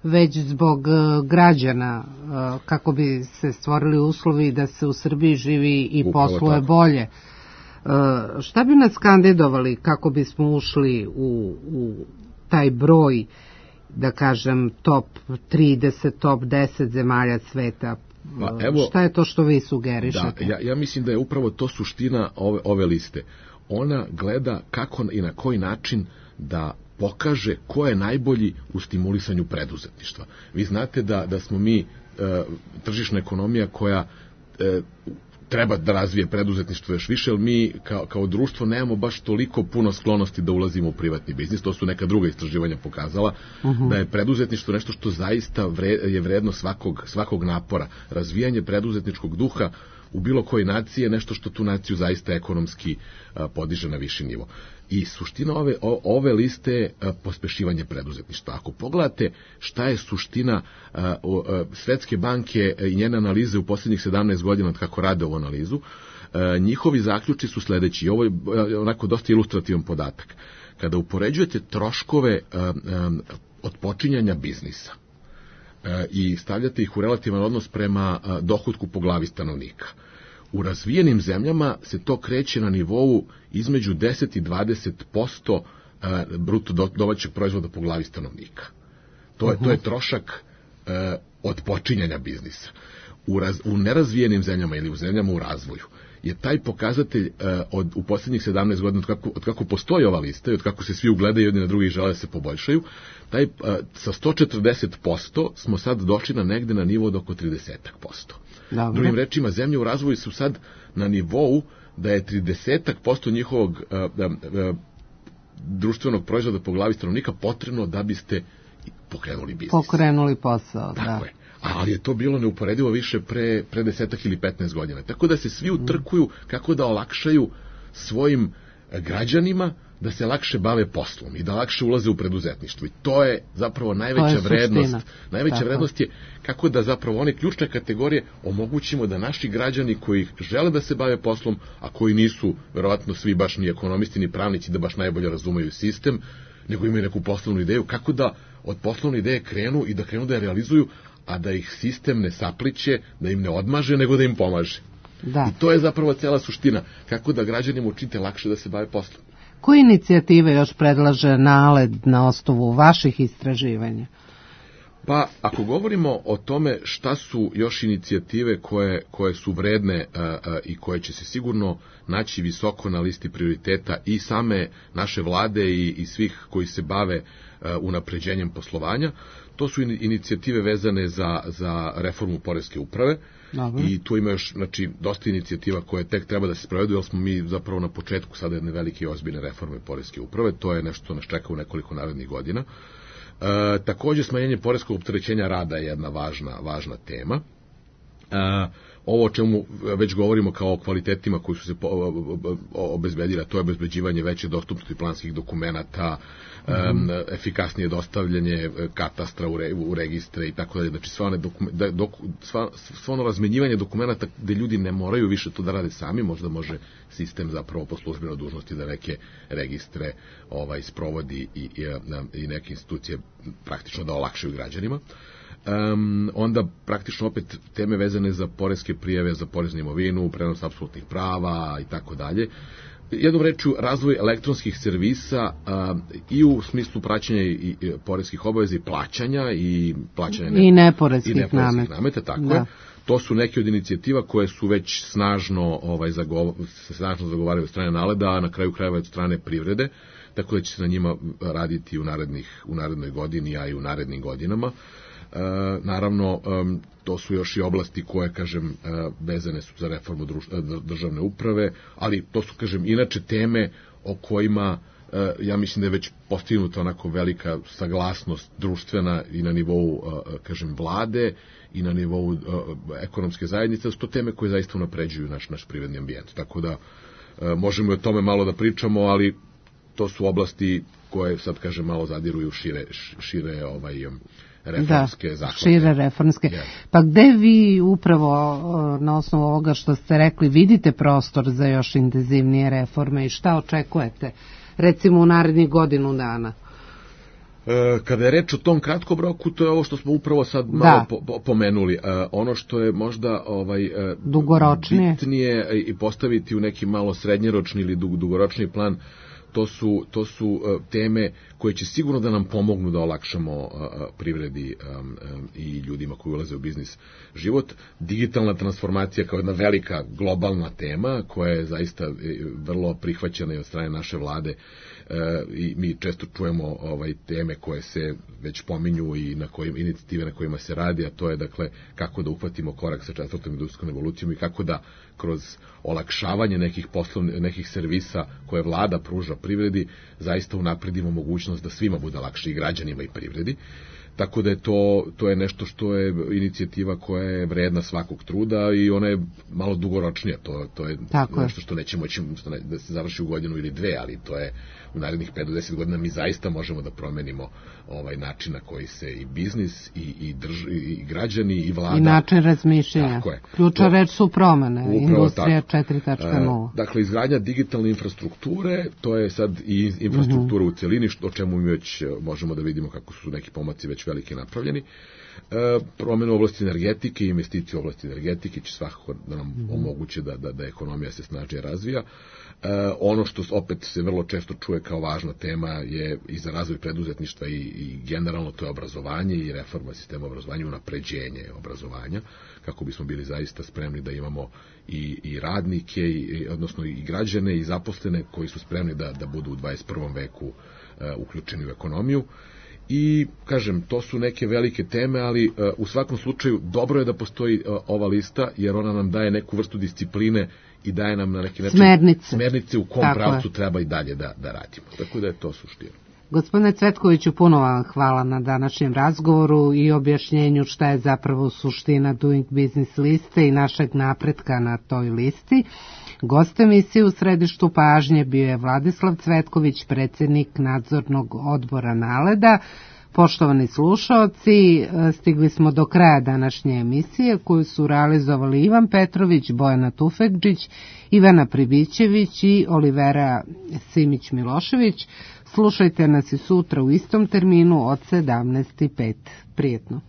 već zbog građana, kako bi se stvorili uslovi da se u Srbiji živi i posluje bolje. Šta bi nas kandidovali kako bismo ušli u taj broj, da kažem, top 30, top 10 zemalja sveta? Šta je to što vi sugerišete? Ja mislim da je upravo to suština ove liste. Ona gleda kako i na koji način da pokaže ko je najbolji u stimulisanju preduzetništva. Vi znate da smo mi tržišna ekonomija koja treba da razvije preduzetništvo još više, jer mi kao društvo nemamo baš toliko puno sklonosti da ulazimo u privatni biznis. To su neka druga istraživanja pokazala, da je preduzetništvo nešto što zaista je vredno svakog napora. Razvijanje preduzetničkog duha u bilo kojoj naciji je nešto što tu naciju zaista ekonomski podiže na viši nivo. I suština ove liste je pospešivanje preduzetništva. Ako pogledate šta je suština Svetske banke i njene analize u posljednjih 17 godina od kako rade ovu analizu, njihovi zaključi su sledeći. Ovo je onako dosta ilustrativan podatak. Kada upoređujete troškove od počinjanja biznisa i stavljate ih u relativan odnos prema dohotku po glavi stanovnika, u razvijenim zemljama se to kreće na nivou između 10 i 20% bruto domaćeg proizvoda po glavi stanovnika. To je trošak od počinjanja biznisa. U nerazvijenim zemljama ili u zemljama u razvoju je taj pokazatelj u posljednjih 17 godina od kako postoji ova lista i od kako se svi ugledaju jedni na drugi i žele da se poboljšaju, sa 140% smo sad došli negde na nivo od oko 30%. Drugim rečima, zemlje u razvoju su sad na nivou da je 30% njihovog društvenog proizvoda po glavi stanovnika potrebno da biste pokrenuli biznis. Pokrenuli posao, Tako je. Ali je to bilo neuporedivo više pre 10 ili 15 godina. Tako da se svi utrkuju kako da olakšaju svojim građanima da se lakše bave poslom i da lakše ulaze u preduzetništvo. I to je zapravo najveća vrednost. Najveća vrednost je kako da zapravo one ključne kategorije omogućimo da naši građani koji žele da se bave poslom, a koji nisu verovatno svi baš ni ekonomisti ni pravnici da baš najbolje razumeju sistem, nego imaju neku poslovnu ideju, kako da od poslovne ideje krenu i da krenu da je realizuju, a da ih sistem ne sapliće, da im ne odmaže, nego da im pomaže. I to je zapravo cela suština, kako da građanima učinite lakše da se bave poslom. Koje inicijative još predlaže NALED na osnovu vaših istraživanja? Pa, ako govorimo o tome šta su još inicijative koje su vredne i koje će se sigurno naći visoko na listi prioriteta i same naše vlade i svih koji se bave unapređenjem poslovanja, to su inicijative vezane za reformu poreske uprave. I tu ima još dosta inicijativa koje tek treba da se sprovedu, jer smo mi zapravo na početku sada jedne velike i ozbiljne reforme poreske uprave. To je nešto što nas čeka u nekoliko narednih godina. Takođe, smanjenje poreskog opterećenja rada je jedna važna tema. Ovo o čemu već govorimo kao o kvalitetima koji su se obezbedili, to je obezbeđivanje veće dostupnosti planskih dokumenata, efikasnije dostavljanje katastra u registre i tako dalje. Znači, sva ono razmenjivanje dokumenata gde ljudi ne moraju više to da rade sami, možda može sistem zapravo po službenoj dužnosti da neke registre sprovodi i neke institucije praktično da olakšaju građanima. Onda praktično opet teme vezane za poreske prijave, za poreznu imovinu, prenos apsolutnih prava i tako dalje. Jednom rečju, razvoj elektronskih servisa i u smislu praćenja i poreskih obaveza i plaćanja i neporeskih nameta, tako je. To su neke od inicijativa koje su već snažno zagovaraju od strane NALED-a, a na kraju krajeva od strane privrede, tako da će se na njima raditi u narednoj godini, a i u narednim godinama. Naravno, to su još i oblasti koje, kažem, vezane su za reformu državne uprave, ali to su, kažem, inače teme o kojima ja mislim da je već postignuta onako velika saglasnost društvena i na nivou, kažem, vlade i na nivou ekonomske zajednice, su to teme koje zaista unapređuju naš privredni ambijent. Tako da možemo i o tome malo da pričamo, ali to su oblasti koje sad, kažem, malo zadiruju šire reformske zahvate. Šire reformske. Pa gde vi upravo na osnovu ovoga što ste rekli vidite prostor za još intenzivnije reforme i šta očekujete recimo u narednih godinu dana? Kada je reč o tom kratkom roku, to je ovo što smo upravo sad malo pomenuli. Ono što je možda bitnije i postaviti u neki malo srednjeročni ili dugoročni plan, to su teme koje će sigurno da nam pomognu da olakšamo privredi i ljudima koji ulaze u biznis život. Digitalna transformacija kao jedna velika globalna tema koja je zaista vrlo prihvaćena i od strane naše vlade i mi često čujemo teme koje se već pominju i inicijative na kojima se radi, a to je dakle kako da uhvatimo korak sa 4. industrijskom revolucijom i kako da kroz olakšavanje nekih servisa koje vlada pruža privredi zaista unapredimo mogućnost da svima bude lakše, i građanima i privredi. Tako da je to je nešto što je inicijativa koja je vredna svakog truda i ona je malo dugoročnija. To je nešto što neće moći da se završi u godinu ili dve, ali to je u narednih 5 do 10 godina mi zaista možemo da promenimo način na koji se i biznis i građani i vlada... I način razmišljanja. Ključna reč su promene, industrija 4.0. Dakle, izgradnja digitalne infrastrukture, to je sad i infrastruktura u celini, o čemu mi već možemo da vidimo kako su neki pomaci već veliki napravljeni. Promjena u oblasti energetike i investicije u oblasti energetike će svakako da nam omoguće da ekonomija se snažnije razvija. Ono što opet se vrlo često čuje kao važna tema je i za razvoj preduzetništva i generalno to je obrazovanje i reforma sistema obrazovanja, unapređenje obrazovanja, kako bismo bili zaista spremni da imamo i radnike, odnosno i građane i zaposlene koji su spremni da budu u 21. veku uključeni u ekonomiju. I, kažem, to su neke velike teme, ali u svakom slučaju dobro je da postoji ova lista, jer ona nam daje neku vrstu discipline i daje nam na neki način smernice u kom pravcu treba i dalje da radimo. Tako da je to suština. Gospodine Cvetkoviću, puno vam hvala na današnjem razgovoru i objašnjenju šta je zapravo suština Doing Business liste i našeg napretka na toj listi. Gost emisije u središtu pažnje bio je Vladislav Cvetković, predsjednik nadzornog odbora Naleda. Poštovani slušaoci, stigli smo do kraja današnje emisije koju su realizovali Ivan Petrović, Bojana Tufekđić, Ivana Pribićević i Olivera Simić-Milošević. Slušajte nas i sutra u istom terminu od 17:05. Prijetno.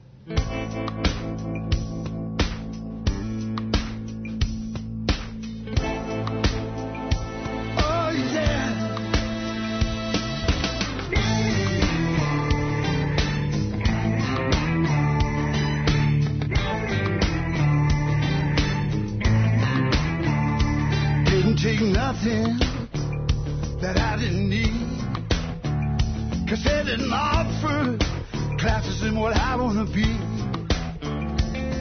Nothing that I didn't need, 'cause they didn't offer classes in what I want to be.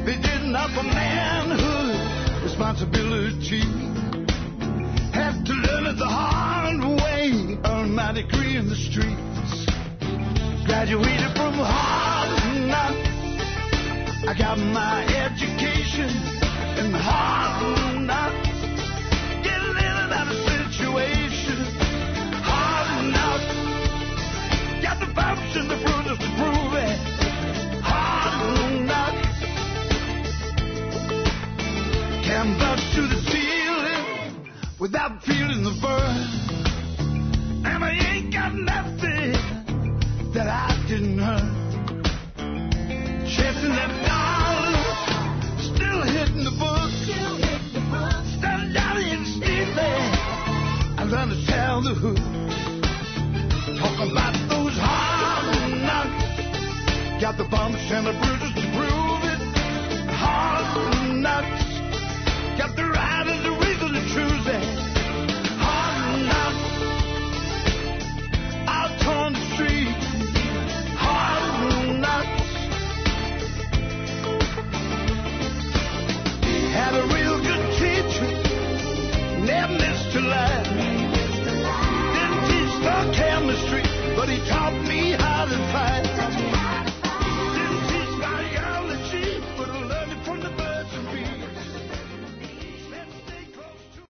They didn't offer manhood, responsibility. Had to learn it the hard way, earn my degree in the streets. Graduated from Harvard Knocks, I got my education in Harvard Knocks. Got the bumps and the bruises to prove it. Hard knocks. Canvas to the ceiling without feeling the burn. And I ain't got nothing that I didn't earn. Chasing that dollar, still hitting the book. Standing down in Stevie, I learned to tell the hood. Talk about those hard knocks. Got the bumps and the bruises to prove it. Hard knocks. Got the right and the reason to choose it. Hard knocks. Out on the street. Hard knocks. Had a real good teacher. Never missed a line. Didn't teach the but he taught me how to fight.